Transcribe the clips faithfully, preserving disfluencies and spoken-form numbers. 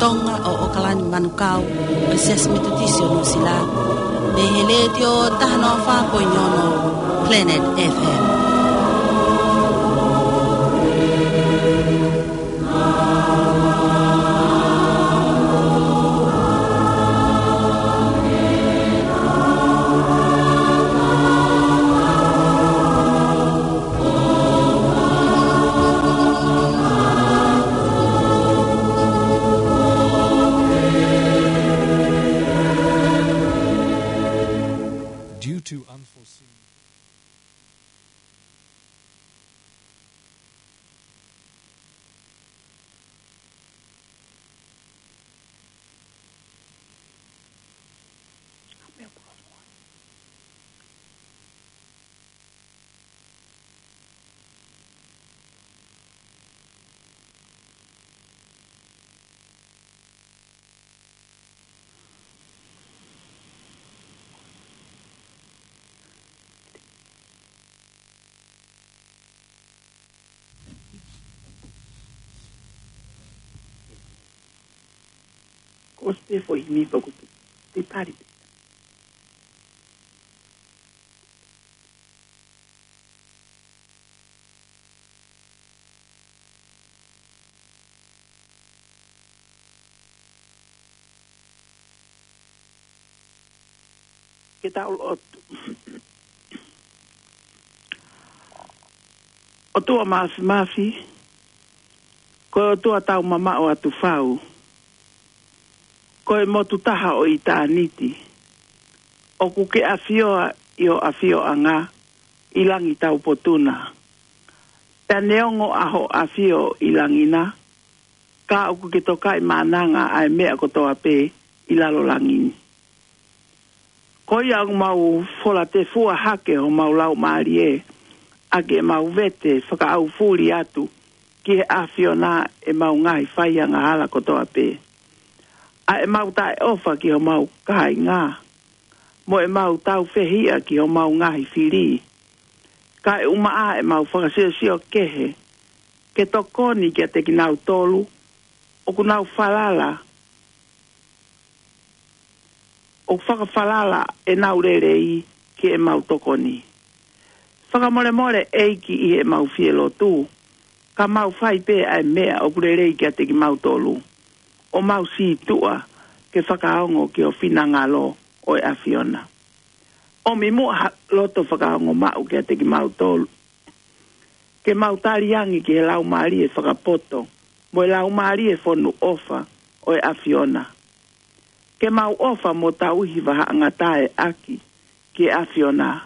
Tonga ʻo ʻOkalani Manukau, ʻo e Siasi Metotisi ʻo Nuʻusila, mei he Letiō taha noa fā poini ono Planet F M. Due to unforeseen Ko se foʻi himi pē ʻoku te pari. Ke tau lotu. ʻOtua Māfimafi, ko e ʻOtua tau mamaʻo atu fau, ko e motu taha ʻo ʻitāniti, ʻoku ke ʻafioʻi ʻa ho ʻafioʻanga ʻi langi taupotu na. Pea neongo ʻa hoʻo ʻafio ʻi langi na, ka ʻoku ke tokaʻi mananga ʻa e meʻa kotoa pē ʻi lalo langi ni. Ko ia ʻoku mau fola tefua hake homau laumālie ʻaki ʻemau vete fakaʻaufuli atu ki he ʻAfiona ʻemau ngaahi faiangahala kotoa pē. ʻA ʻemau taʻeʻofa ki homau kāinga, mo ʻemau taufehiʻa ki homau ngaahi fili. Kaeʻumaʻā ʻemau fakasiosio kehe, ke tokoni kiate kinautolu ʻoku nau falala, ʻoku fakafalala ʻenau lelei ki heʻemau tokoni. Fakamolemole ʻEiki ʻi heʻemau fie lotu, ka mau fai pē ʻa e meʻa ʻoku lelei kiate kimautolu, ʻo mau sītuʻa ke fakaongo ki ho finangalo ʻo e ʻAfiona. ʻOmi muʻa ha loto fakaongo maʻu kiate kimautolu, ke mau tali ange ki he laumālie fakapoto, mo e laumālie fonu ʻofa ʻo e ʻAfiona. Ke mau ʻofa mo tauhi vahaʻangatae ʻaki ki he ʻAfiona,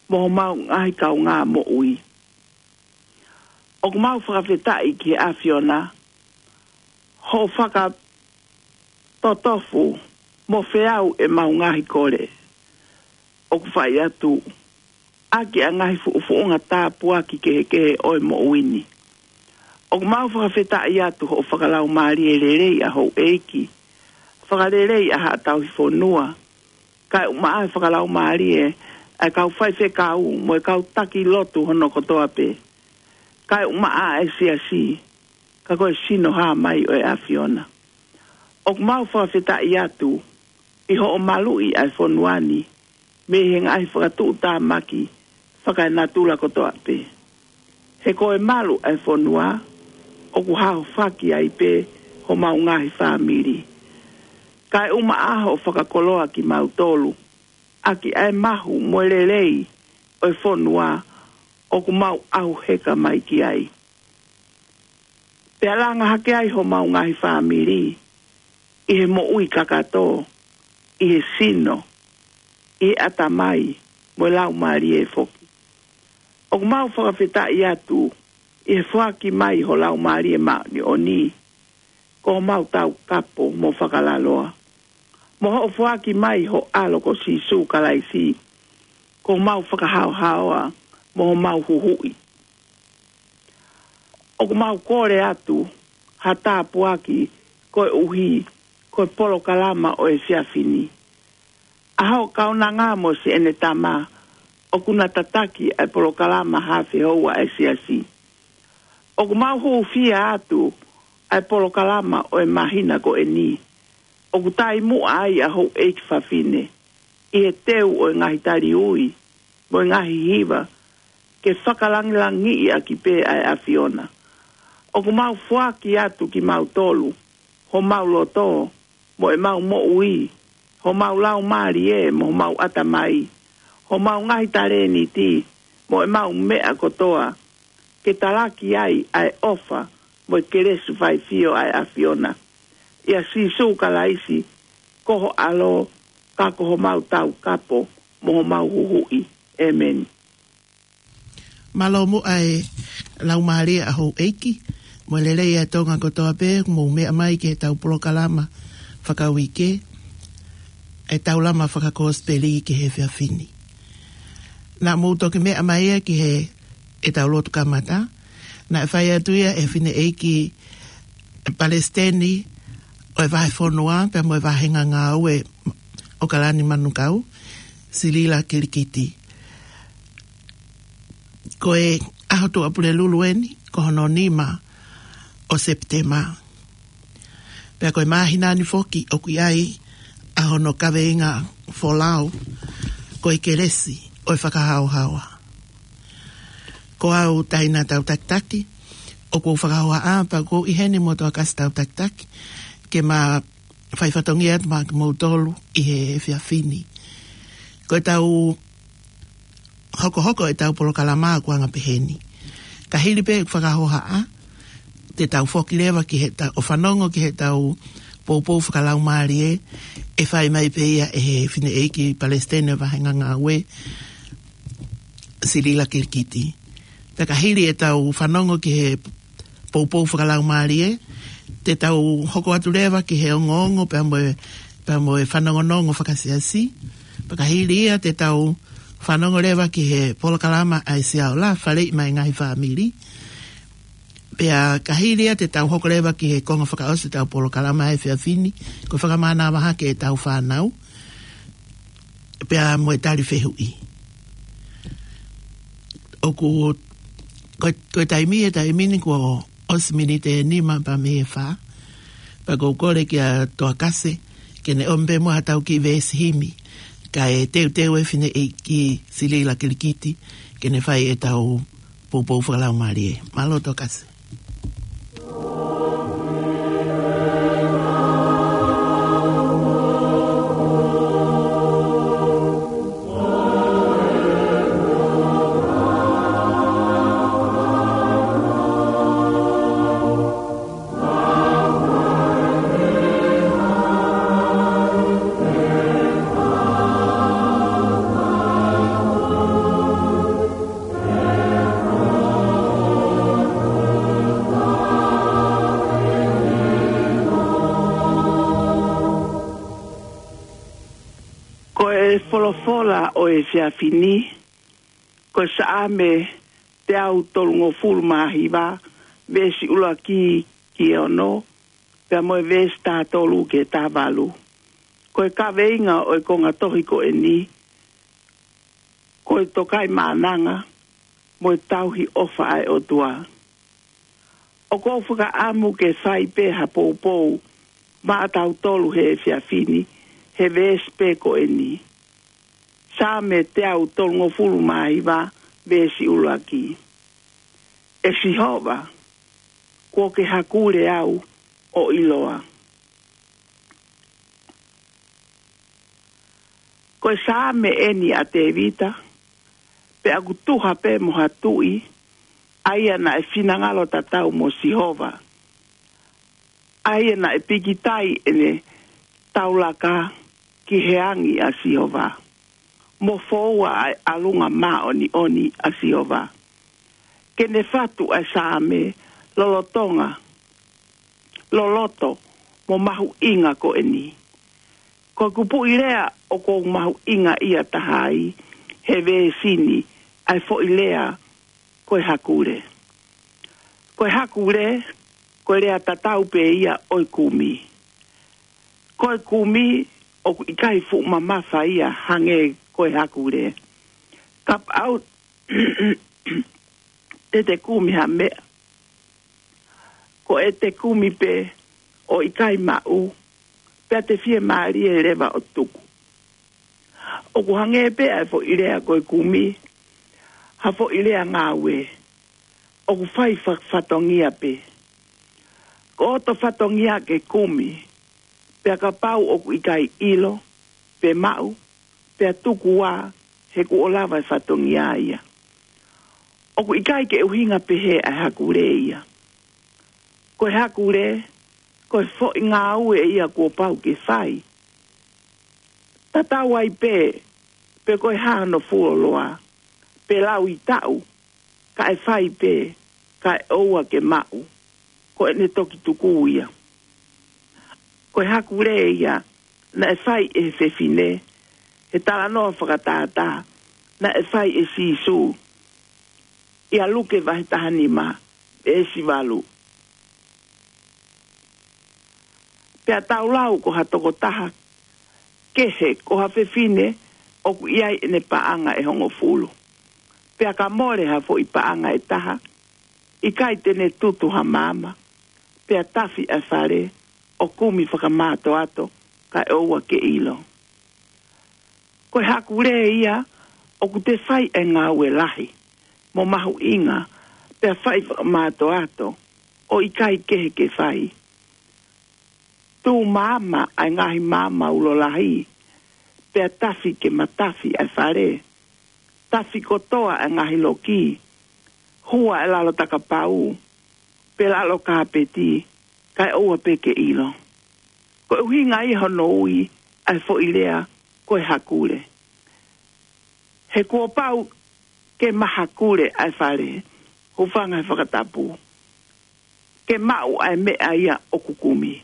mo homau ngaahi kaungā moʻui. ʻOku mau fakafetaʻi ki he ʻAfiona, hoʻo fakatotofu mo feau ʻemau ngaahi kole. ʻOku fai atu ʻaki ʻa e ngaahi fuʻufuʻunga tāpuaki kehekehe ʻo e moʻui ni. ʻOku mau fakafetaʻi atu hoʻo fakalaumālie lelei ʻa houʻeiki, fakaleleiʻi ʻa haʻa tauhi fonua, kaeʻumaʻā e fakalaumālie ʻa e kau faifekau mo e kau taki lotu hono kotoa pē, kaeʻumaʻā e siasi, ka ko e sino hā mai ʻo e ʻAfiona. ʻOku mau fakafetaʻi atu ʻi hoʻo maluʻi ʻa e fonua ni mei he ngaahi fakatuʻutāmaki fakaenatula kotoa pē. He ko e malu ʻa e fonua, ʻoku haofaki ai pē homau ngaahi fāmili. Kaeʻumaʻā hoʻo fakakoloa kimautolu ʻaki ʻa e mahu mo e lelei ʻo e fonua ʻoku mau ʻauheka mai ki ai. Pea langa hake ai homau ngaahi fāmili ʻi he moʻui kakato, ʻi he sino, ʻi he ʻatamai, mo e laumālie foki. ʻOku mau fakafetaʻi atu ʻi he foaki mai ho Laumālie Māʻoniʻoni, ko homau taukapo mo fakalaloa, mo hoʻo foaki mai ho ʻAlo ko Sīsū Kalaisi, ko homau fakahaohaoa mo homau huhuʻi. ʻOku mau kole atu ha tāpuaki koeʻuhi ko e polokalama ʻo e efiafi ni. ʻA hoʻo kaunanga mo siʻene tama ʻoku na tataki ʻa e polokalama Haafe Houa ʻa e Siasi. ʻOku mau hūfia atu ʻa e polokalama ʻo e māhina ko eni. ʻOku taimuʻa ai ʻa houʻeiki fafine ʻi he teu ʻo e ngaahi taliui mo e ngaahi hiva ke fakalangilangiʻi ʻaki pē ʻa e ʻAfiona. ʻOku mau foaki atu kimautolu, homau loto, mo ʻemau moʻui, homau laumālie, mo homau ʻatamai, homau ngaahi talēniti, mo ʻemau meʻa kotoa, ke talaki ai ʻa e ʻofa mo e kelesi faifio ʻa e ʻAfiona. ʻIa Sīsū Kalaisi, ko ho ʻAlo, ka ko homau taukapo mo homau huhuʻi. ʻĒmeni. Mālō muʻa e laumālie ʻa houʻeiki, mo e lelei ʻa e Tonga kotoa pē, mou meʻa mai ki heʻetau polokalama fakauike, ʻetau lama fakakosipeli ki he efiafi ni. Naʻa mou toki meʻa mai ia ki heʻetau lotu kamata, naʻe fai atu ia ʻe he fineʻeiki palesiteni ʻo e vahefonua, pea mo e vāhenga ngāue ʻo ʻOkalani Manukau, Silila Kilikiti. Ko e ʻaho Tuʻapulelulu eni, ko hono nima ʻo Sepitema. Pea ko e māhina ni foki ʻoku ʻi ai ʻa hono kaveinga folau, ko e kelesi ʻo e fakahaohaoa. Ko au Taina Tautakitaki, ʻoku ou fakahohaʻa pea ʻoku ou ʻi heni mo Toakasi Tautakitaki, ke ma fai fatongia atu maʻa kimoutolu ʻi he efiafi ni. Ko ʻetau hokohoko ʻetau polokalama ʻoku anga peheni. Ka hili pē ʻeku fakahohaʻa, te tau foki leva ki heʻetau, ʻo fanongo ki heʻetau poupou fakalaumālie, ʻe fai mai pē ia ʻe he fineʻeiki palesiteni ʻo e vāhenga ngāue, Silila Kilikiti. Pea ka hili ʻetau fanongo ki he poupou fakalaumālie, te tau hoko atu leva ki he ongoongo pea mo e, pea mo e fanongonongo fakasiasi. Pea ka hili ia te tau fanongo leva ki he polokalama ʻa e Siaola, Faleʻi mo e Ngaahi Fāmili. Pea ka hili ia te tau hoko leva ki he konga fakaʻosi ʻetau polokalama he efiafi ni, ko e fakamānava hake ʻetau fānau, pea mo e tali fehuʻi. ʻOku, ko, ko e taimi, e taimi ni kuo ʻosi miniti ʻe nima pea mei he fā. Pea ʻoku ou kole kia Toakasi, ke ne ʻomi pē muʻa haʻatau kiʻi veesi himi, kae teuteu e fineʻeiki Silila Kilikiti, ke ne fai ʻetau poupou fakalaumālie. Mālō Toakasi. Ko e folofola ʻo e efiafi ni, ko e Saame teau tolungofulu mā hiva, veesi ʻuluaki ki he ono, pea mo e veesi taha tolu ki he taha valu. Ko e kaveinga ʻo e konga tohi ko eni, ko e tokaimaʻananga mo e tauhi ʻofa ʻa e ʻOtua. ʻOku ou fakaʻamu ke fai pē ha poupou maʻatautolu he efiafi ni, he veesi pē ko eni. Saame teau tolungofulu mā hiva, veesi ʻuluaki. ʻE Sihova, kuo ke hakule au ʻo ʻiloa. Ko e Saame eni ʻa Tēvita, pea ʻoku tuha pē mo ha tuʻi, ʻa ia naʻe finangalo tatau mo Sihova, ʻa ia naʻe pikitai ʻene taulaka ki he angi ʻa Sihova, mo foua ʻa e ʻalunga māʻoniʻoni ʻa Sihova. Ke ne fatu ʻa e Saame lolotonga, loloto mo mahuʻinga ko eni. Ko e kupuʻi lea ʻoku ou mahuʻingaʻia taha ai he veesi ni, ʻa e foʻi lea ko e hakule. Ko e hakule, ko e lea tatau pē ia ʻo e kumi. Ko e kumi ʻoku ʻikai fuʻu mamafa ia hangē ko e hakule. Kapau te te kumi ha meʻa, Ko ʻete kumi pē ʻo ʻikai maʻu, pea te fiemālie leva ʻo tuku. ʻOku hangē pē ʻa e foʻi lea ko e kumi, ha foʻi lea ngāue, ʻoku fai fa- fatongia pē. Ko hoto fatongia ke kumi, pea kapau ʻoku ʻikai ʻilo, pe maʻu, pea tuku ā, he kuo lava e fatongia ia. ʻOku ʻikai ke ʻuhinga pehē ʻa e hakule ia. Ko e hakule, ko e foʻi ngāue ia kuo pau ke fai. Tatau ai pē, pe ko e hā hono fuoloa, pe lauʻi taʻu, kae fai pē, kae ʻoua ke maʻu, ko ʻene toki tuku ia. Ko e hakule ia, naʻe fai ʻe he fefine, he talanoa fakatātā, naʻe fai ʻe Sīsū, ʻia Luke vahe taha nima, veesi valu. Pea tau lau ko ha tokotaha kehe, ko ha fefine ʻoku ʻi ai ʻene paʻanga ʻe hongofulu. Pea ka mole ha foʻi paʻanga ʻe taha, ʻikai te ne tutu ha maama, pea tafi ʻa e fale, ʻo kumi fakamātoato, kae ʻoua ke ʻilo. Ko e hakule ia, ʻoku te fai e ngāue lahi, mo mahuʻinga, pea fai fakamātoato, ʻo ʻikai kehe ke fai. Tū maama ʻa e ngaahi maama ulo lahi, pea tafi ke matafi ʻa e fale. Tafi kotoa ʻa e ngaahi loki, hua ʻa e lalo takapau, pe lalo kāpeti, kae ʻoua pē ke ʻilo. Ko e ʻuhinga ia hono ui ʻa e foʻi lea ko e hakule. He kuo pau ke mahakule ʻa e fale, hūfanga he fakatapu. Ke maʻu ʻa e meʻa ia ʻoku kumi.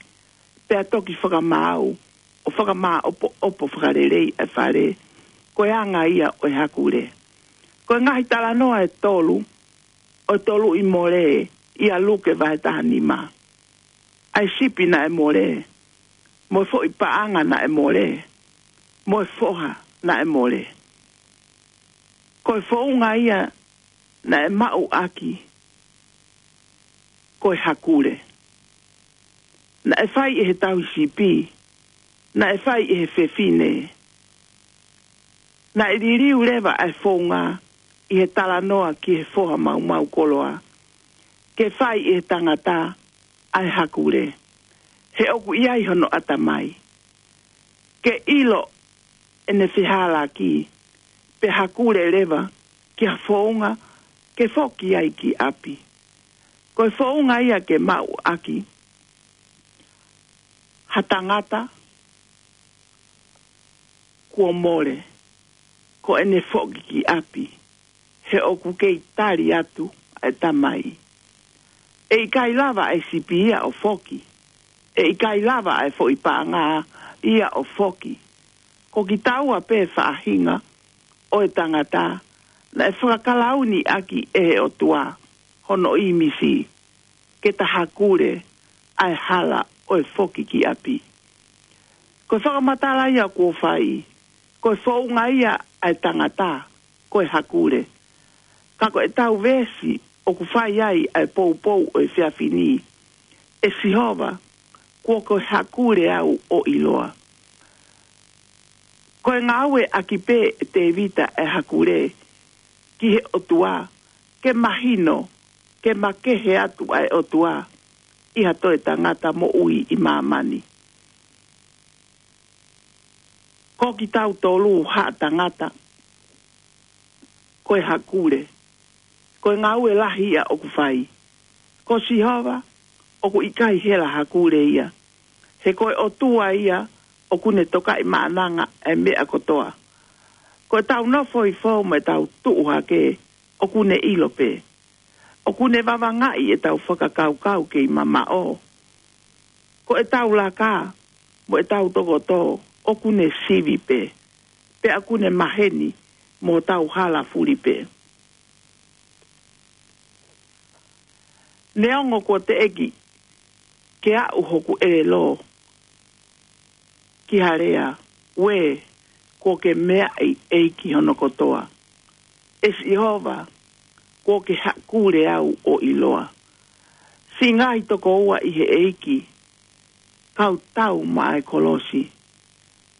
Pea toki fakamaau, ʻo fakamāʻopoʻopo fakalelei ʻa e fale, ko e anga ia ʻo e hakule. Ko e ngaahi talanoa ʻe tolu, ʻo e tolu ʻi mole, ʻia Luke vahe taha nima. ʻA e sipi naʻe mole, mo e foʻi paʻanga naʻe mole, mo e foha naʻe mole. Ko e founga ia naʻe maʻu ʻaki, ko e hakule. Naʻe fai ʻe he tauhi sipi, naʻe fai ʻe he fefine. Naʻe liliu leva ʻa e founga ʻi he talanoa ki he foha maumau koloa, ke fai ʻe he tangata ʻa e hakule. He ʻoku ʻi ai hono ʻatamai. Ke ʻilo ʻene fehālaaki, pea hakule leva ki ha founga ke foki ai ki ʻapi. Ko e founga ia ke maʻu ʻaki ha tangata kuo mole, ko ʻene foki ki ʻapi, he ʻoku kei tali atu ʻa e tamai. ʻE ʻikai lava ʻa e sipi ia ʻo foki. ʻE ʻikai lava ʻa e foʻi paʻanga ia ʻo foki. Ko kitaua pē faʻahinga ʻo e tangata, naʻe fakakalauni ʻaki ʻe he ʻOtua hono ʻīmisi, ke ta hakule ʻa e hala ʻo e foki ki ʻapi. Ko e fakamatala ia kuo fai, ko e founga ia ʻa e tangata, ko e hakule. Ka ko e tau veesi ʻoku fai ai ʻa e poupou ʻo e efiafi ni, ʻE Sihova, kuo ke hakule au ʻo ʻiloa. Ko e ngāue ʻaki pē ʻe Tēvita ʻa e hakule ki he ʻOtua, ke mahino, ke makehe atu ʻa e ʻOtua ʻi ha toe tangata moʻui ʻi māmani. Ko kitautolu haʻa tangata, ko e hakule. Ko e ngāue lahi ia ʻoku fai. Ko Sihova, ʻoku ʻikai hela hakule ia. He ko e ʻOtua ia, ʻoku ne tokaʻi maʻananga ʻa e meʻa kotoa. Ko e tau nofo hifo mo e tau tuʻu hake, ʻoku ne ʻilo pē. ʻOku ne vavangaʻi e tau fakakaukau kei mamaʻo. Ko e tau laka, mo e tau tokoto, ʻoku ne sivi pē. Pea ʻoku ne maheni, mo tau hala fuli pē. Neongo kuo teʻeki ke aʻu hoku ʻelelo ki ha lea, ʻuē, kuo ke meaʻi ʻEiki hono kotoa. ʻE Sihova, kuo ke hakule au ʻo ʻiloa. Siʻi ngaahi tokoua ʻi he ʻEiki, kau tau maʻa e kolosi.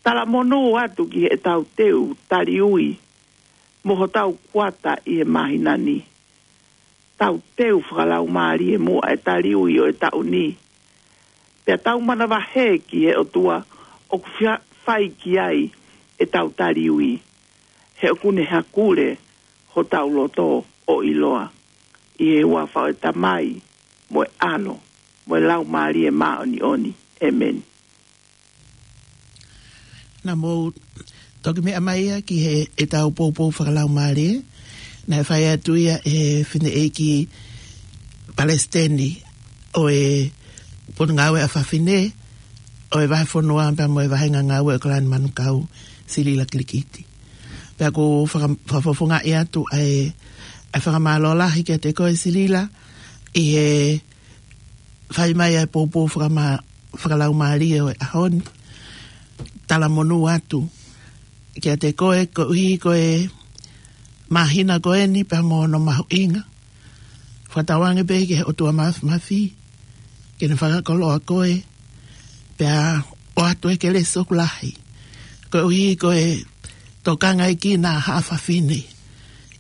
Talamonū atu ki heʻetau teu taliui mo hotau kuata ʻi he māhina ni. Tau teu fakalaumālie muʻa e taliui ʻo e taʻu ni. Pea tau manavahē ki he ʻOtua ʻoku fia-, fai ki ai ʻetau taliui. He ʻoku ne hakule hotau loto ʻo ʻiloa. ʻI he huafa ʻo e Tamai, mo e ʻAlo, mo e Laumālie Māʻoniʻoni. ʻĒmeni. Naʻa mou toki meʻa mai ia ki he, ʻetau poupou fakalaumālie. Naʻe fai atu ia ʻe he fineʻeiki palesiteni ʻo e Potungāue ʻa Fafine ʻo e Vahefonua pea mo e Vāhenga Ngāue ʻo Kalani Manukau, Silila Kilikiti. Pea ʻoku faka-, fakafofongaʻi atu ʻa e, ʻa e fakamālō lahi kiate koe Silila ʻi he fai mai ʻa e poupou fakama-, fakalaumālie ʻo e ʻaho ni. Talamonū atu kiate koe koeʻuhi ko e māhina ko eni pea mo hono mahuʻinga. Fakatauange pē ki he ʻOtua Māfimafi ke ne fakakoloa koe, pea ʻoatu e kelesi ʻoku lahi koeʻuhi ko e tokangaʻi kinaua ʻa e fafine ʻi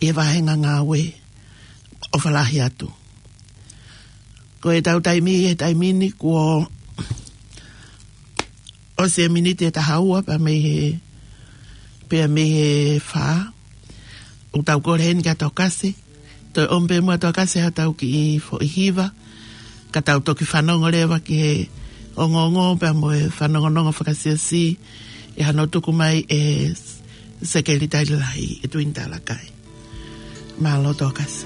he Vāhenga Ngāue. ʻOfa lahi atu. Ko ʻetau taimi he taimi ni kuo ʻosi e miniti ʻe taha ua pea mei he, pea mei he fā. ʻOku tau kole heni kia Tokasi, toe ʻomi pē muʻa Tokasi haʻatau kiʻi foʻi hiva, ka tau toki fanongo leva ki he ongoongo pea mo e fanongonongo fakasiasi ʻi hano tuku mai ʻe Sekelitali Lahi, ʻe Tuini Talakai. Mālō Tokasi.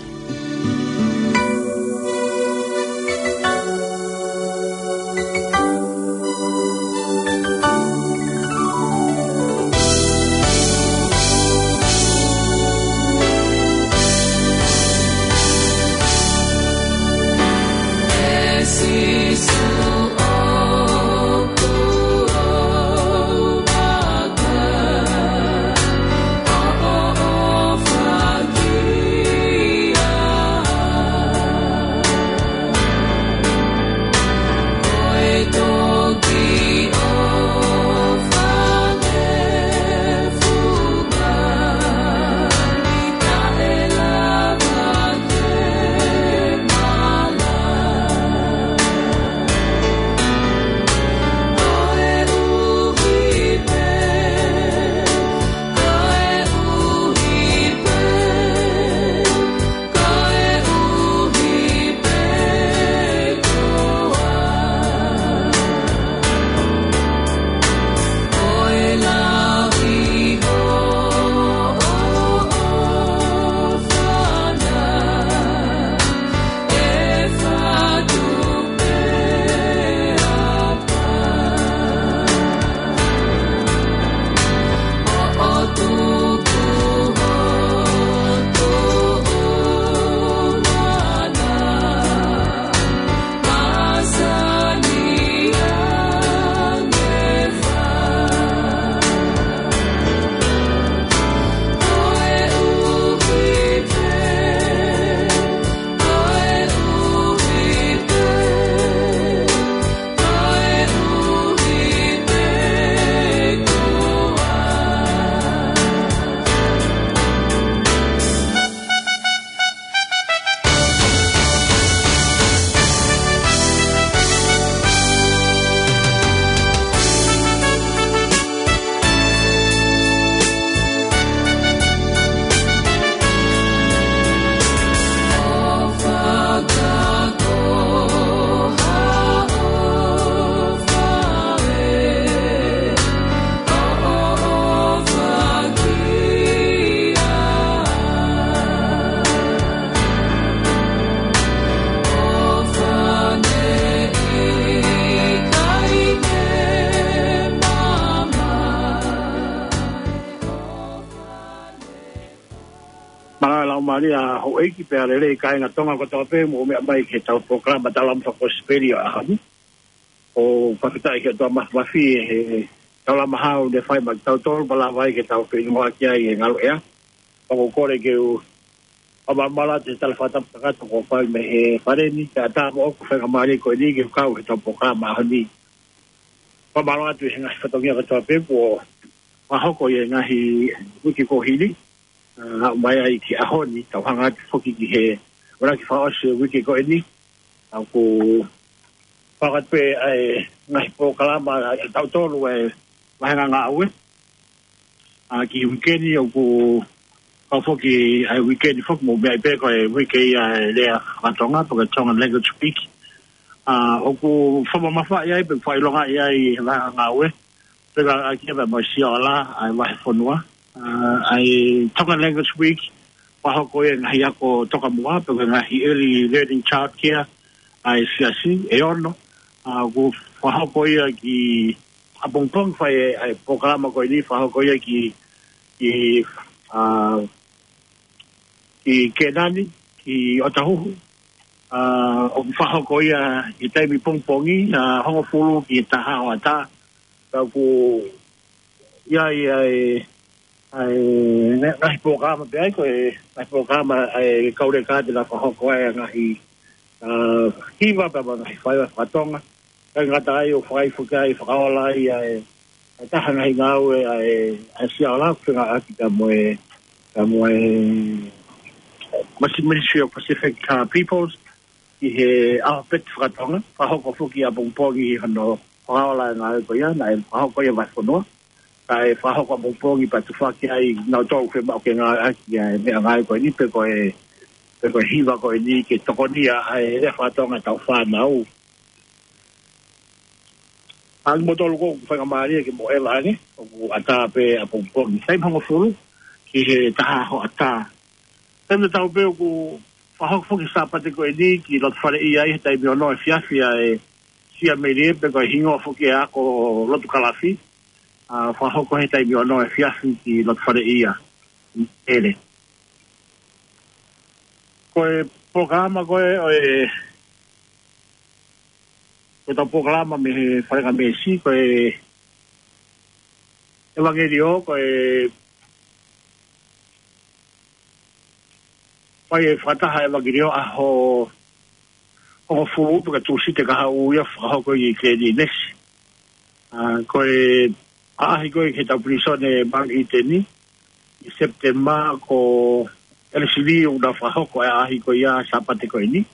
Mālō e laumālie ʻa houʻeiki pea lelei kāinga Tonga kotoa pē mou meʻa mai ki heʻetau polokalama Taulama Fakakosipeli ʻo e ʻaho ni. ʻOku fakafetaʻi ki he ʻOtua Māfimafi he taulama hau ne fai maʻa kitautolu pea lava ai ke tau feʻiloaki ai he ngaluʻea. Pea ʻoku ou kole ke u Fakamālō atu he tala fakatapu kakato kuo fai mei he Fale ni, kae ʻatā mo ʻeku faingamālie ko eni ke kau he tau polokalama ʻaho ni. Fakamālō atu he ngaahi fatongia kotoa pē kuo fakahoko ʻi he ngaahi uike kuo hili, ʻa, mai ai ki he ʻaho ni, tau hanga atu foki ki he ʻuluaki fakaʻosi ʻo e uike ko eni, ʻa, ʻoku fakahoko pē ʻa e ngaahi polokalama ʻa tautolu ʻa e vāhenga ngāue. ʻA, ki he uike ni ʻoku kau foki ʻa e uike ni foki mo e meʻa pē ko e uike ia ʻa e lea faka-Tonga, pe ko e Tongan Language Week. ʻA, ʻoku fakamamafaʻi ai, pe fakaʻilongaʻi ai he vāhenga ngāue. Pe ko e ʻaʻahi pē mo e Sia Ola ʻa e vahefonua. ʻA, ʻa e Tongan Language Week, fakahoko ʻi he ngaahi ako tokamuʻa, pe ko e ngaahi early learning childcare, ʻa e siasi, ʻe ono. ʻA, ʻoku fakahoko ia ki ʻapongipongi fai ʻa e polokalama ko eni, fakahoko ia ki, ki, ʻa, ki Kēnani, ki ʻOtahuhu. ʻA, ʻoku fakahoko ia ʻi he taimi pongipongi, ʻa, hongofulu ki he taha hoʻatā. Ka ʻoku ʻi ai ʻa e, ʻa e, ngaahi polokalama pē ʻa ia ko e, ngaahi polokalama ʻa e kau leka te nau fakahoko ai ʻa e ngaahi, ʻa, hiva pea mo e ngaahi faiva faka-Tonga. Kae ngata ai ʻo fakaʻi foki ai, fakaola ai ʻa e, ʻa e taha ngaahi ngāue ʻa e, ʻa e Sia Ola ʻoku fengāueʻaki pea mo e, pea mo e Masi-, Ministry of Pacific, ʻa, Peoples, ʻi he ʻaho pē faka-Tonga, fakahoko foki ʻapongipongi hono fakaola e ngāue ko ia, naʻe fakahoko ia vahefonua. Kae fakahoko ʻapongipongi pea tufaki ai nautolu ʻoku fiemaʻu ke ngāueʻaki ʻa e meʻangāue ko eni pe ko e, pe ko e hiva ko eni ke tokonia ʻa e lea faka-Tonga ʻa e tau fānau. ʻA, kimoutolu ʻoku faingamālie ke mou ʻeva ange, ʻoku ʻatā pē ʻapongipongi. Taimi hongofulu ki he taha hoʻatā. Taimi tatau pē ʻoku fakahoko foki Sāpate ko eni ki loto fale ia ʻi he taimi ono efiafi ʻa e Sia Melie pe ko e hingoa foki ʻa e ako lotu kalafi. ʻA, fakahoko he taimi ono efiafi ki loto fale ia. ʻEle. Ko e polokalama ko ē ʻo e, ko e tau polokalama mei he Falengamesi, ko e ʻevangeliō, ko e fai e fakataha ʻevangeliō ʻaho hongofulu pe ko e Tūsite kahaʻu ia fakahoko ʻi Kēnesi. ʻA, ko e ʻaʻahi ko ē ki he tau pilīsone Mount Eden ʻi Sepitema, ko ʻElesi Lī ʻoku nau fakahoko e ʻaʻahi ko ia Sāpate ko eni.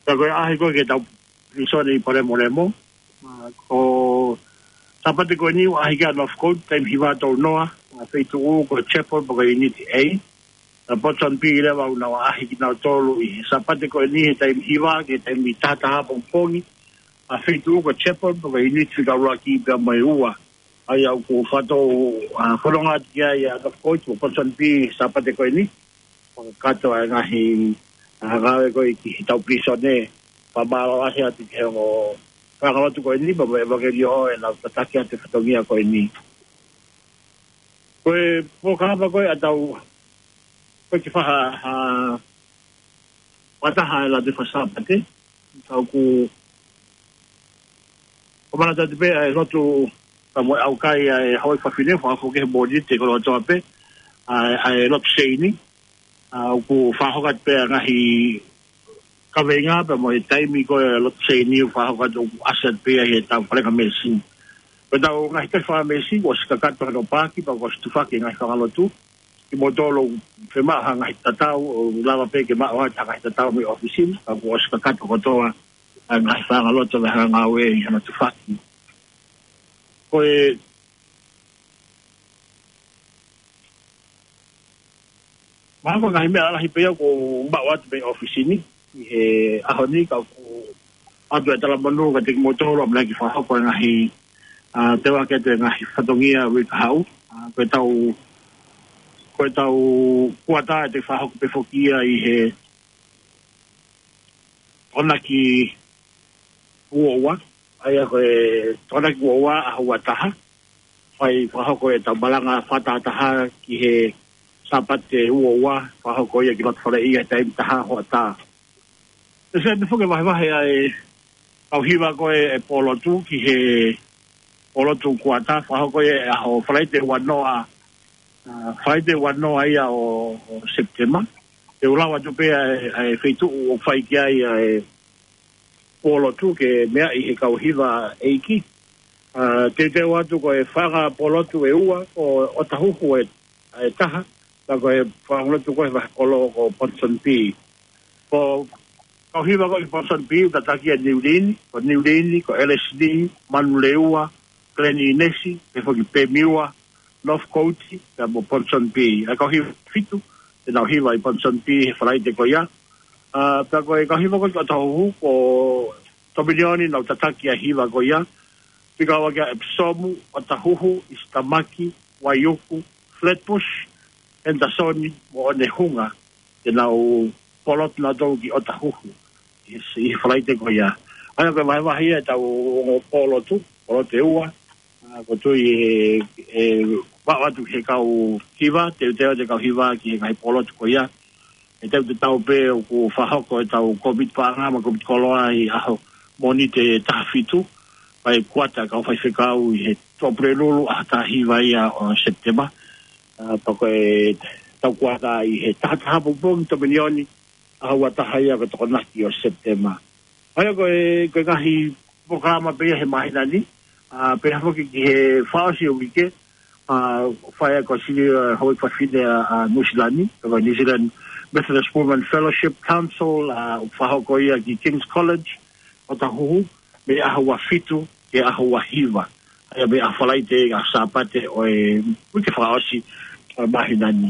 Ka ko e ʻaʻahi ko ē ki he tau pilīsone ʻi Palēmolemo. ʻA, ko Sāpate ko eni ʻoku ʻaʻahi ki ai ʻa Northcote, taimi hiva tolu noa, ʻa, feituʻu ko e Chapel pe ko e Unit A. ʻA, Port Phoebe leva ʻoku nau ʻaʻahi kinautolu ʻi he Sāpate ko eni he taimi hiva ki he taimi taha taha pongipongi. ʻA, feituʻu ko e Chapel pe ko e Unit fika ʻuluaki pea mo e ua. ʻA ia ʻoku faʻa tau, ʻa, fononga atu ki ai ʻa Northcote mo Port Phoebe Sāpate ko eni. Fakakakato ʻa e ngaahi, ʻa, ngāue ko ē ki he tau pilīsone. Fakamālō lahi atu ki he ongo faiʻanga lotu ko eni, pea mo e ʻevangeliō ʻenau tataki atu e fatongia ko eni. Ko e polokalama ko ē ʻa tau, ko e kiʻi faha, ʻa, fakataha ʻa e Lātū Faka-Sāpate, tau ku, ko mana tatu pē ʻa e lotu, pea mo e ʻaukai ʻa e Hawaii fafine, fakahoko ki he Mōnite koloa kotoa pē, ʻa, ʻa e lotu seini, ʻa, ʻoku fakahoko atu pē ʻa e ngaahi kaveinga pea mo e taimi ko ē lotu seini ʻoku fakahoko atu ʻoku ʻasi atu pē ia he tau Falengamesi. Ko e tau ngaahi tau Falengamesi, kuo ʻosi kakato hono paaki, pea kuo ʻosi tufaki e ngaahi faʻahinga lotu. Kimoutolu ʻoku fiemaʻu ha ngaahi tatau, ʻoku lava pē ke maʻu atu ha ngaahi tatau mei ʻōfisi ni, pea kuo ʻosi kakato kotoa ʻa e ngaahi faʻahinga lotu mo e ngaahi ngāue ʻi hono tufaki. Ko e Mahalo ko e ngaahi meʻa lalahi pē ia kuo maʻu atu mei ʻōfisi ni ʻi he ʻaho ni, ka ʻoku ʻoatu e talamonū kiate kimoutolu ʻamanaki fakahoko e ngaahi, ʻa, teuaki atu e ngaahi fatongia uike kahaʻu. ʻA, ko e tau, ko e tau kuata ʻe toe fakahoko pē foki ia ʻi he Tokonaki ua ua, ʻa ia ko e Tokonaki ua ua ʻaho ua taha, fai fakahoko e tau malanga fakatahataha ki he Sāpate ua ua, fakahoko ia ki loto fale ia he taimi taha hoʻatā. Pea ʻe fai pē foki e vahevahe ʻa e kau hiva ko ē ʻa e pōlotu ki he pōlotu kuata, fakahoko ia he ʻaho Falaite ua noa, ʻa, Falaite ua noa ia ʻo, ʻo Sepitema. Te u lau atu pē ʻa e, ʻa e feituʻu ʻoku fai ki ai ʻa e pōlotu ke meaʻi he kau hiva ʻeiki. ʻA, teuteu atu ko e fanga pōlotu ʻe ua, ko ʻOtahuhu ʻe, ʻe taha, pea ko e fanga pōlotu ko e vahe kolo ko Ponsonby. Ko e kau hiva ko ē ʻi Ponsonby, ʻoku tataki ʻa Niulini, ko Niulini, ko Elesini, Manulewa, Glen Innes, pea foki Pemiwa, Northcote, pea mo Ponsonby. ʻA e kau hiva ʻe fitu te nau hiva ʻi Ponsonby he Falaite ko ia. ʻA, pea ko e kau hiva ko ē ʻi ʻOtahuhu, ko Tominioni, nau tataki ʻa e hiva ko ia. Fika ua kia Epsom, ʻOtahuhu, East Tamaki, Waiuku, Flatbush, Henderson, mo Onehunga, te nau pōlotu nautolu ki ʻOtahuhu ʻi he, ʻi he Falaite ko ia. ʻA ia ko e vahevahe ia ʻetau ongo pōlotu, pōlotu ʻe ua. ʻA, ʻoku ou tui ʻe, ʻe vaʻu atu he kau hiva, teuteu atu e kau hiva ki he ngaahi pōlotu ko ia. ʻE teu te tau pē ʻoku fakahoko ʻetau Covid paʻanga mo e Covid koloa ʻi he ʻaho Mōnite ʻe taha fitu, ʻa e kuata kau faifekau ʻi he Tuʻapulelulu, ʻaho taha hiva ia ʻo Sepitema. ʻA, pea ko ʻetau kuata ʻi he taha taha pongipongi Tominioni, ʻaho ua taha ia ko e Tokonaki ʻo Sepitema. ʻA ia ko e, ko e ngaahi polokalama pē ia he māhina ni, ʻa, pea foki ki he fakaʻosi ʻo e uike, ʻa, fai ʻa e kosili, ʻa, houʻeiki fafine ʻa, ʻa Nuʻusila ni, ko e New Zealand Methodist Women Fellowship Council, ʻa, ʻoku fakahoko ia ki King's College, ʻOtahuhu, mei he ʻaho ua fitu ki he ʻaho ua hiva. ʻA ia mei he ʻaho Falaite ki he ʻaho Sāpate ʻo e uike fakaʻosi ʻo e māhina ni.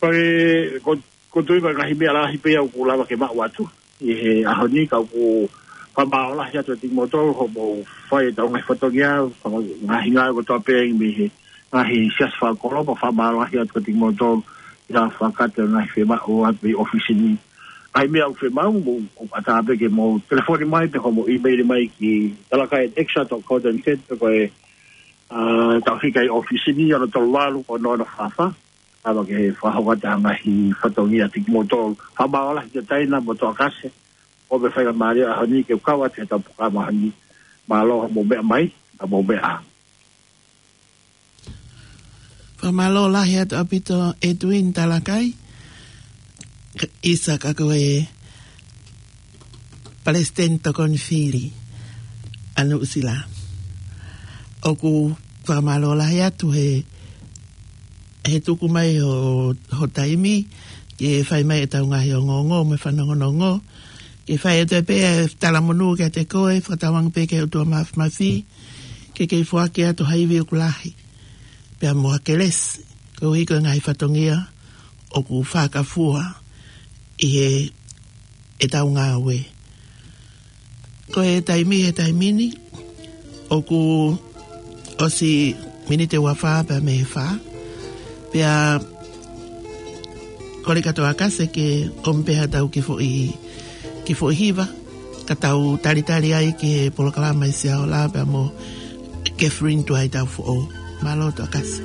Ko e, ko, ʻoku ou tui ko e ngaahi meʻa lahi pē ia ʻoku lava ke maʻu atu ʻi he ʻaho ni, ka ʻoku fakamālō lahi atu kiate kimoutolu hoʻomou fai ʻetau ngaahi fatongia, faka-, ngaahi ngāue kotoa pē mei he ngaahi siasi fakakolo, pea fakamālō lahi atu kiate kimoutolu ʻi he fakakakato e ngaahi fiemaʻu atu mei he ʻōfisi ni. Ngaahi meʻa ʻoku fiemaʻu, mou, ʻoku ʻatā pē ke mou telefoni mai pe ko hoʻomou email mai ki talakai at extra dot co dot N Z, pe ko e, ʻa, tau fika ʻi he ʻōfisi ni, ono tolu valu, ono ono fā fā. Lava ke fakahoko atu ha ngaahi fatongia kiate kimoutolu. Fakamālō lahi kia Taina mo Toʻakase, ʻo e faingamālie ʻo e ʻaho ni ke kau atu he ʻetau polokalama ʻaho ni. Mālō hoʻomou meʻa mai, hoʻomou meʻa. Fakamālō lahi atu ʻaupito Edwin Talakai, ʻisa ka ko e Palesiteni Tokoni Fili ʻa Nuʻusila. ʻOku fakamālō lahi atu he, he tuku mai ho, ho taimi, ke fai mai ʻetau ngaahi ongoongo mo e fanongonongo, ke fai atu pē ʻa e talamonū kiate koe, fakatauange pē ki he ʻOtua Māfimafi, ke kei foaki atu ha ivi ʻoku lahi, pea mo ha kelesi, koeʻuhi ko e ngaahi fatongia ʻoku fakafua ʻi he ʻetau ngāue. Ko e taimi he taimi ni, ʻoku ʻosi miniti ua fā pea mei he fā. Pea kole kia Toʻakase ke ʻomi pē haʻatau kiʻi foʻi, kiʻi foʻi hiva, ka tau talitali ai ki he polokalama ʻi Siaola pea mo Catherine Tuaitaufoʻou. Mālō Toʻakase.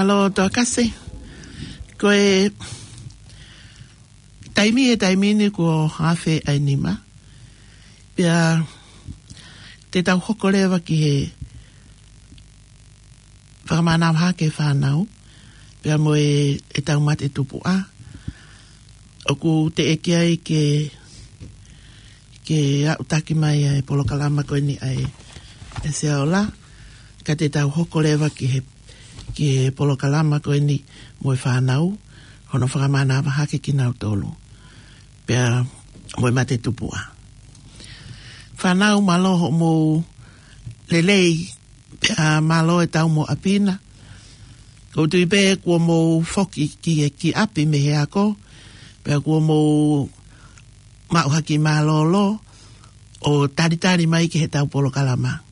Mālō Toa Kasi, ko e taimi, e taimi ni kuo afe ai nima. Pea te tau hoko leva ki he fakamānava hake fānau, pea mo e, e tau mate tupuʻa. ʻOku teʻeki ai ke, ke aʻutaki mai ʻa e polokalama ko eni ʻa e, e Seaola, ka te tau hoko leva ki he, ki he polokalama ko eni mo e fānau, hono fakamānava hake kinautolu. Pea mo e mate tupuʻa. Fānau, mālō hoʻomou lelei, pea mālō e tau mo ʻapi na. ʻOku ou tui pē kuo mou foki ki, ki ʻapi mei he ako, pea kuo mou maʻu ha kiʻi mālōlō ʻo talitali mai ki he tau polokalama.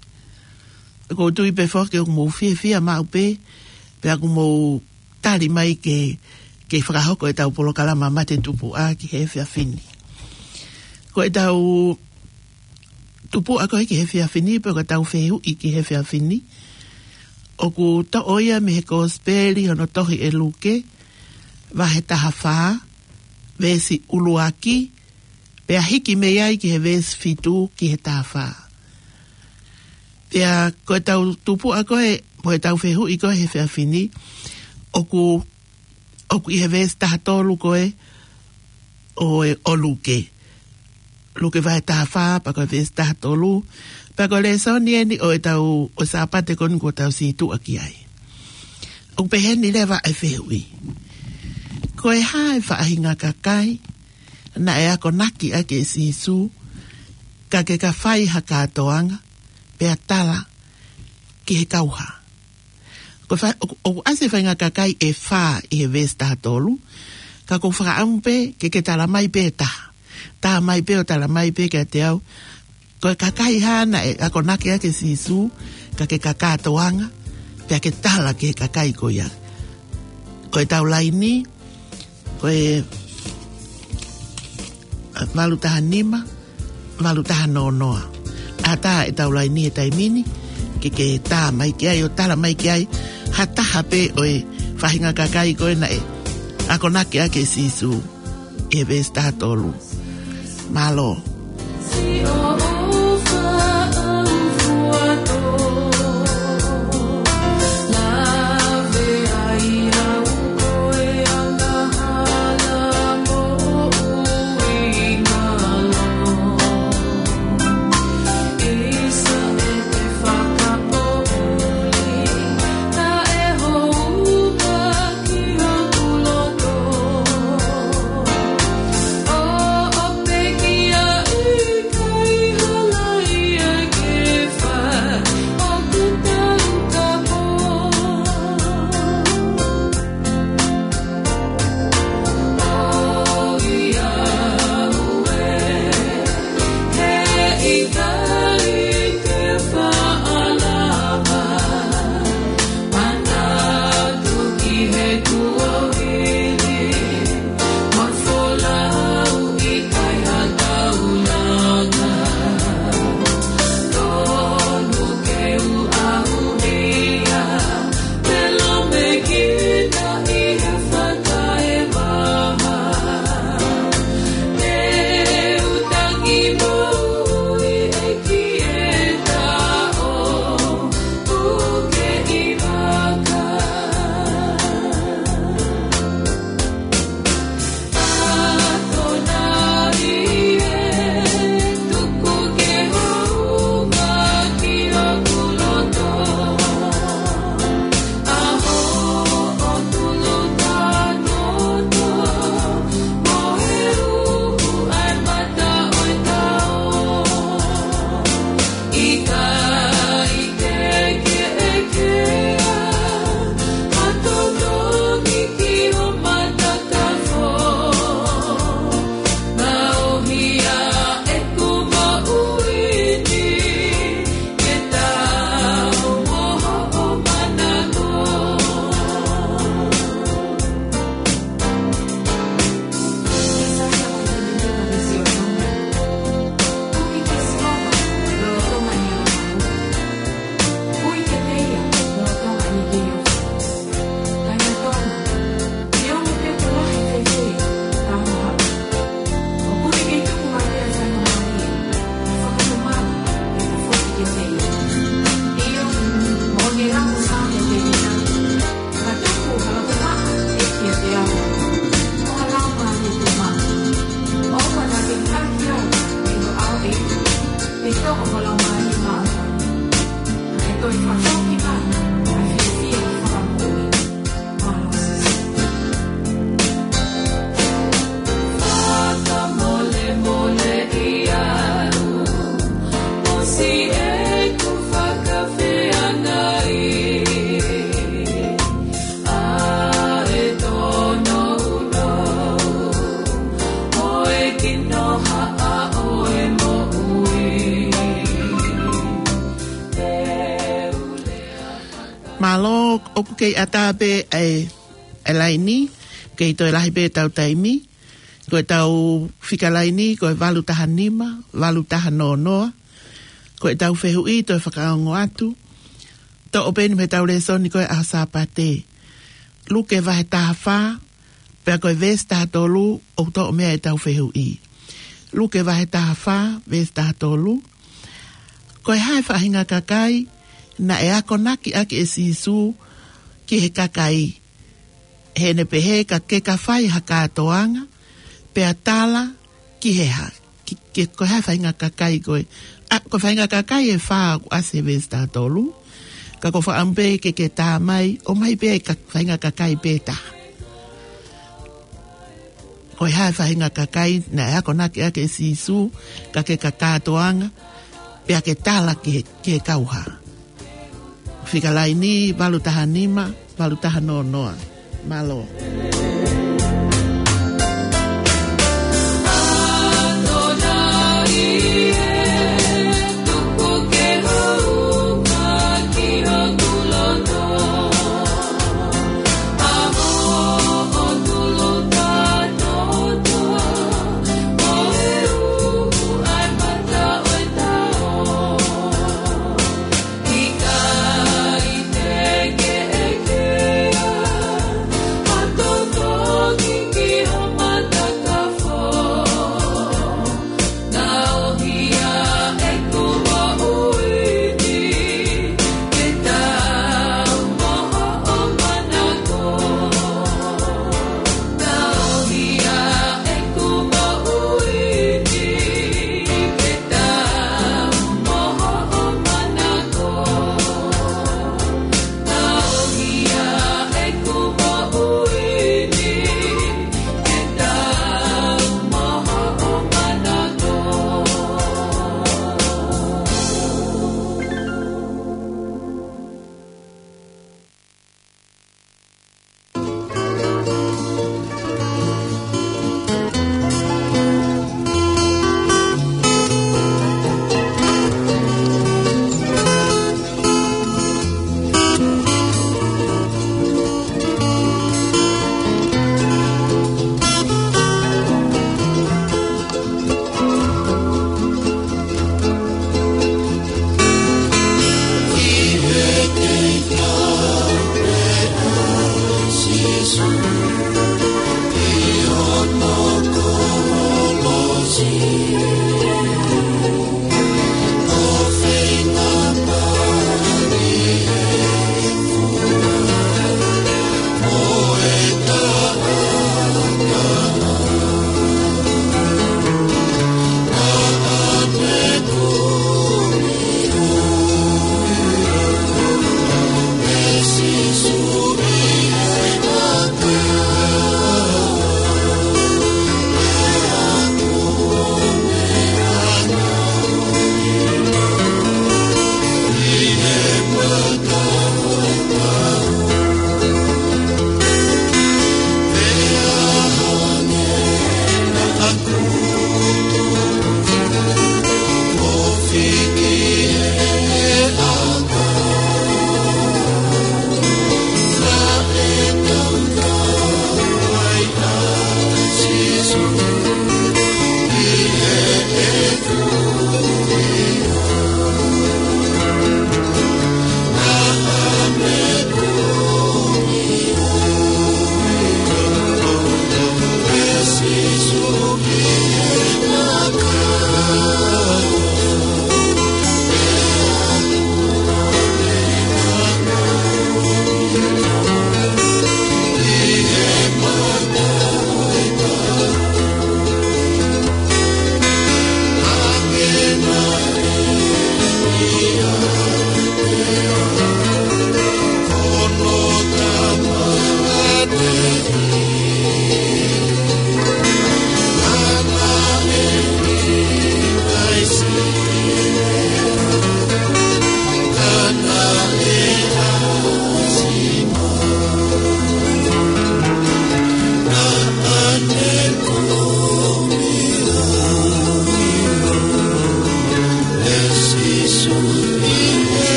ʻOku ou tui pē foki ʻoku mou fiefia maʻu pē, pea ʻoku mou tali mai ke, ke fakahoko e tau polokalama mate tupuʻa ki he efiafi ni. Ko e tau tupuʻa ko ē ki he efiafi ni, pe ko e tau fehuʻi ki he efiafi ni, ʻoku toʻo ia mei he Kosipeli hono tohi ʻe Luke, vahe taha fā, veesi ʻuluaki, pea hiki mei ai ki he veesi fitu ki he taha fā. Pea ko e tau tupuʻa ko ē, mo e tau fehuʻi ko ē he efiafi ni, ʻoku, ʻoku ʻi he veesi taha tolu ko ē ʻo e, ʻo Luke. Luke vahe taha fā, pea ko e veesi taha tolu, pea ko e lēsoni eni ʻo e tau, ʻo e Sāpate ko eni kuo tau sītuʻa ki ai. ʻOku pehē ni leva e fehuʻi. Ko e hā e faʻahinga kakai naʻe akonaki ʻaki ʻe Sīsū, ka ke ka fai ha kātoanga, pea tala ki he kauhā? Ko e fa-, ʻoku, ʻoku ʻasi e faʻahinga kakai ʻe fā ʻi he veesi taha tolu, ka ʻoku ou fakaʻamu pē ke ke tala mai pē taha. Tala mai pē ʻo tala mai pē kiate au, ko e kakai hā naʻe akonaki ʻaki ʻe Sīsū, ka ke ka kātoanga, pea ke tala ki he kakai ko ia? Ko e tau laini, ko e, ʻa, valu taha nima, valu taha noa noa. ʻAtā e tau laini he taimi ni, ke ke tā mai ki ai ʻo tala mai ki ai ha taha pē ʻo e faʻahinga kakai ko ē naʻe akonaki ʻaki ʻe Sīsū ʻi he veesi taha tolu. Mālō. Mālō, ʻoku kei ʻatā pē ʻa e, ʻa e laini, kei toe lahi pē ʻetau taimi. Ko ʻetau fika laini, ko e valu taha nima, valu taha noa noa. Ko ʻetau fehuʻi, toe fakaongo atu. Toʻo pē eni mei heʻetau lēsoni ko e ʻaho Sāpate. Luke vahe taha fā, pea ko e veesi taha tolu, ʻoku toʻo mei ai ʻetau fehuʻi. Luke vahe taha fā, veesi taha tolu. Ko e hā e faʻahinga kakai naʻe akonaki ʻaki ʻe Sīsū ki he kakai, heʻene pehē ka ke ka fai ha kātoanga, pea tala ki he hā, ki, ki, ko e hā e faʻahinga kakai ko ē. ʻA, ko e faʻahinga kakai ʻe fā ʻoku ʻasi he veesi taha tolu. Ka ko e fakaʻamu pē ke ke tā mai, ʻomai pē ʻa e ka, faʻahinga kakai pē taha. Ko e hā e faʻahinga kakai naʻe akonaki ʻaki ʻe Sīsū, ka ke ka kātoanga, pea ke tala ki he, ki he kauhā. Fika laini, valu taha nima, valu taha noa noa. Mālō.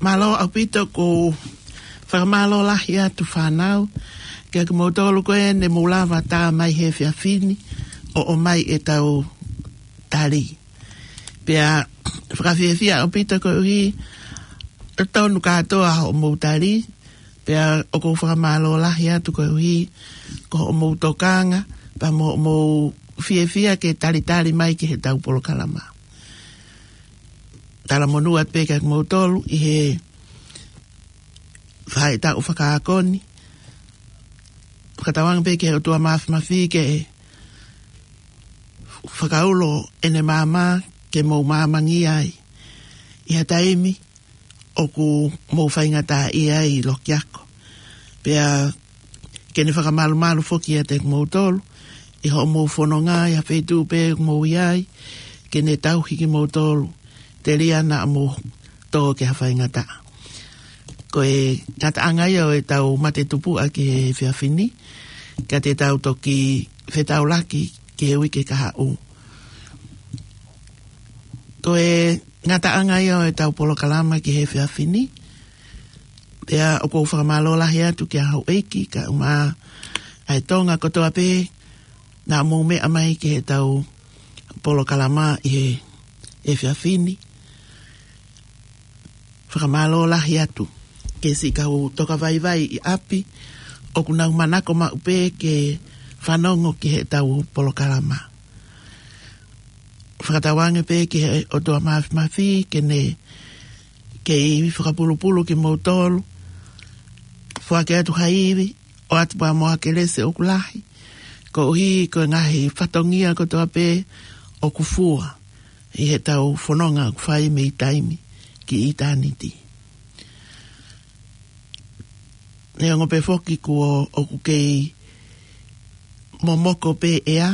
Mālō ʻaupito, ʻoku ou fakamālō lahi atu fānau, kiate kimoutolu ko ē ne mou lava tā mai he efiafi ni ʻo ʻomai ʻetau tali. Pea fakafiefia ʻaupito koeʻuhi ʻoku tonu kātoa hoʻomou tali, pea ʻoku ou fakamālō lahi atu koeʻuhi ko hoʻomou tokanga, pea mo hoʻomou fiefia ke talitali mai ki heʻetau polokalama. Talamonū atu pē kiate kimoutolu ʻi he faʻahitaʻu fakaako ni. Fakatauange pē ki he ʻOtua Māfimafi ke fakaulo ʻene maama ke mou maamangia ai ʻi ha taimi ʻoku mou faingataʻaʻia ai ʻi loki ako. Pea ke ne fakamalumalu foki ʻiate kimoutolu ʻi hoʻomou fononga ʻi ha feituʻu pē ʻoku mou ʻi ai, ke ne tauhi kimoutolu telia naʻa mou tō ki ha faingataʻa. Ko e ngataʻanga ia ʻo ʻetau mate tupuʻa ki he efiafi ni, ka te tau toki fetaulaki ki he uike kahaʻu. Ko e ngataʻanga ia ʻo ʻetau polokalama ki he efiafi ni. Pea ʻoku ou fakamālō lahi atu kia houʻeiki, kae ʻumaʻā ʻa e Tonga kotoa pē naʻa mou meʻa mai ki heʻetau polokalama ʻi he efiafi ni. Fakamālō lahi atu ki he siʻi kau tokavaivai ʻi ʻapi, ʻoku nau manako maʻu pē ke fanongo ki heʻetau polokalama. Fakatauange pē ki he ʻOtua Māfimafi ke ne kei fakapulupulu kimoutolu, foaki atu ha ivi, ʻoatu pē mo ha kelesi ʻoku lahi, koeʻuhi ko e ngaahi fatongia kotoa pē ʻoku fua ʻi heʻetau fononga ʻoku fai mei taimi ki ʻitāniti. Neongo pē foki kuo ʻoku kei momoko pē ʻea,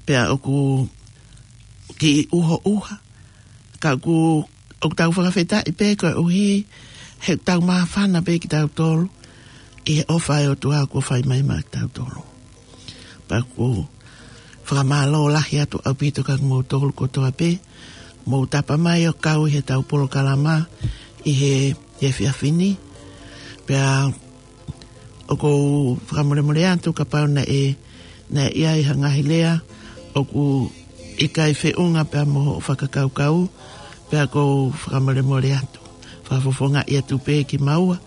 pea ʻoku kiʻi ʻuhoʻuha, ka ʻoku, ʻoku tau fakafetaʻi pē koeʻuhi he ʻoku tau māfana pē kitautolu ʻi he ʻofa ʻa e ʻOtua kuo fai mai maʻa kitautolu. Pea ʻoku ou fakamālō lahi atu ʻaupito kiate kimoutolu kotoa pē, mou tapa mai ʻo kau ʻi heʻetau polokalama ʻi he, he efiafi ni. Pea ʻoku ou fakamolemole atu kapau naʻe, naʻe ʻi ai ha ngaahi lea ʻoku ʻikai feʻunga pea mo hoʻo fakakaukau, pea ʻoku ou fakamolemole atu. Fakafofongaʻi atu pē kimaua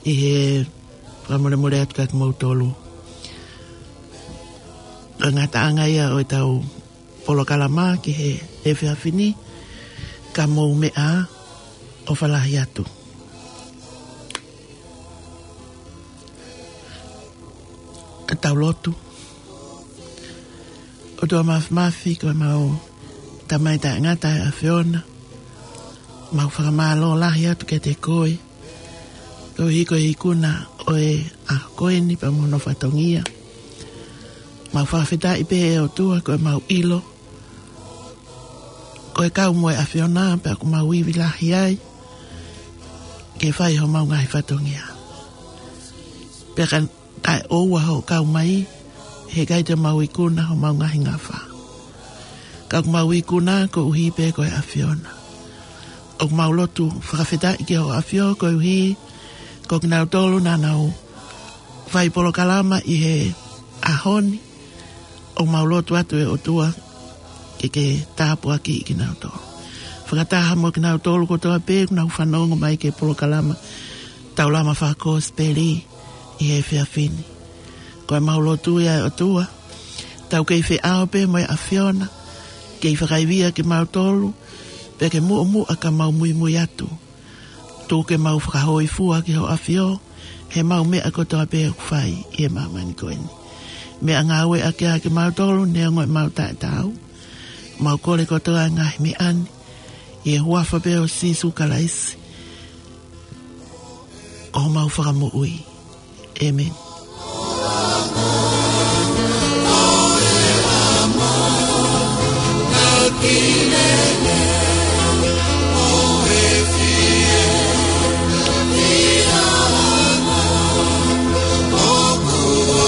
ʻi he fakamolemole atu kiate kimoutolu. Ko e ngataʻanga ia ʻo ʻetau polokalama ki he efiafi ni, ka mou meʻa ā, ʻofa lahi atu. Ka tau lotu. ʻOtua Māfimafi, ko ʻemau Tamai taʻengata ʻa e ʻAfiona, mau fakamālō lahi atu kiate koe, koeʻuhi ko e ikuna ʻo e ʻaho ko eni pea mo hono fatongia. Mau fakafetaʻi pē ʻe ʻOtua ko ʻemau ʻilo ko e kau mo e ʻAfiona pea ʻoku mau ivi lahi ai ke fai homau ngaahi fatongia. Pea ka ʻoua hoʻo kau mai, heʻikai te mau ikuna homau ngaahi ngafa. Ka ʻoku mau ikuna koeʻuhi pē ko e ʻAfiona. ʻOku mau lotu fakafetaʻi ki hoʻo ʻAfio koeʻuhi ko kinautolu naʻa nau fai polokalama ʻi he ʻaho ni. ʻOku mau lotu atu ʻe ʻOtua ke ke tāpuakiʻi kinautolu. Fakataha mo kinautolu kotoa pē ʻoku nau fanongo mai ki he polokalama Taulama Fakakosipeli ʻi he efiafi ni. Ko ʻemau lotu ia ʻe ʻOtua, tau kei feʻao pē mo e ʻAfiona, kei fakaivia kimautolu, pea ke muʻomuʻa ka mau muimui atu. Tuku ke mau fakahōifua ki hoʻo ʻAfio, heʻemau meʻa kotoa pē ʻoku fai ʻi he māmani ko eni. Meʻangāueʻaki ʻa kimautolu neongo ʻemau taʻetaau. Mau kole kotoa e ngaahi meʻa ni ʻi he huafa pē ʻo Sīsū Kalaisi, ko homau Fakamoʻui. ʻĒmeni.